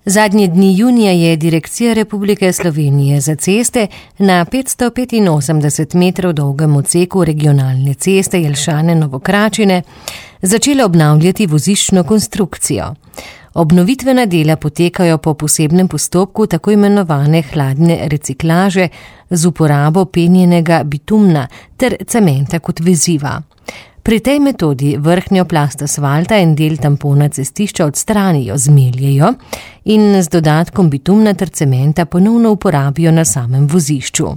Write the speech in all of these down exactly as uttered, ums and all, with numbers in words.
Zadnje dni junija je Direkcija Republike Slovenije za ceste na petsto petinosemdeset metrov dolgem odseku regionalne ceste Jelšane-Novo Kračine začela obnavljati voziščno konstrukcijo. Obnovitvena dela potekajo po posebnem postopku tako imenovane hladne reciklaže z uporabo penjenega bitumna ter cementa kot veziva. Pri tej metodi vrhnjo plast asfalta in del tampona cestišča odstranijo, zmeljejo in z dodatkom bitumna ter cementa ponovno uporabijo na samem vozišču.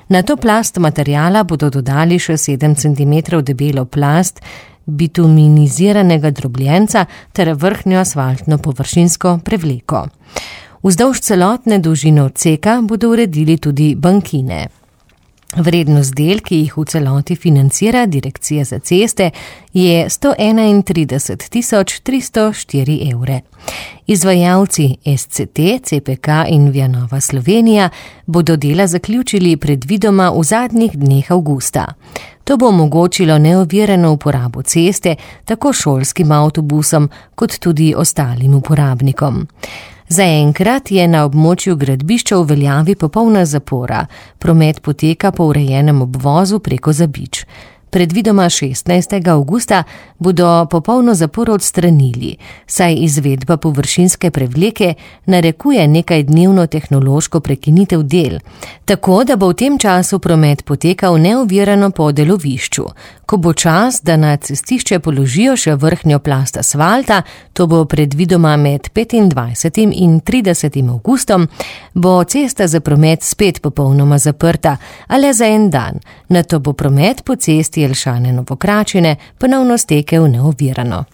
Na to plast materijala bodo dodali še sedem centimetrov debelo plast bituminiziranega drobljenca ter vrhnjo asfaltno površinsko prevleko. Vzdolž celotne dolžine odseka bodo uredili tudi bankine. Vrednost del, ki jih v celoti financira Direkcija za ceste, je sto enaintrideset tisoč tristo štiri evre. Izvajalci S C T, C P K in Vianova Slovenija bodo dela zaključili predvidoma v zadnjih dneh avgusta. To bo omogočilo neovirano uporabo ceste tako šolskim avtobusom kot tudi ostalim uporabnikom. Zaenkrat je na območju gradbišča v veljavi popolna zapora, promet poteka po urejenem obvozu preko Zabič. Predvidoma šestnajstega avgusta bodo popolno zaporo odstranili, saj izvedba površinske prevleke narekuje nekajdnevno tehnološko prekinitev del, tako da bo v tem času promet potekal neovirano po delovišču. Ko bo čas, da na cestišče položijo še vrhnjo plast asfalta, to bo predvidoma med petindvajsetim in tridesetim avgustom, bo cesta za promet spet popolnoma zaprta, a le za en dan. Nato bo promet po cesti Jelšane-Novo Kračine ponovno stekel neovirano.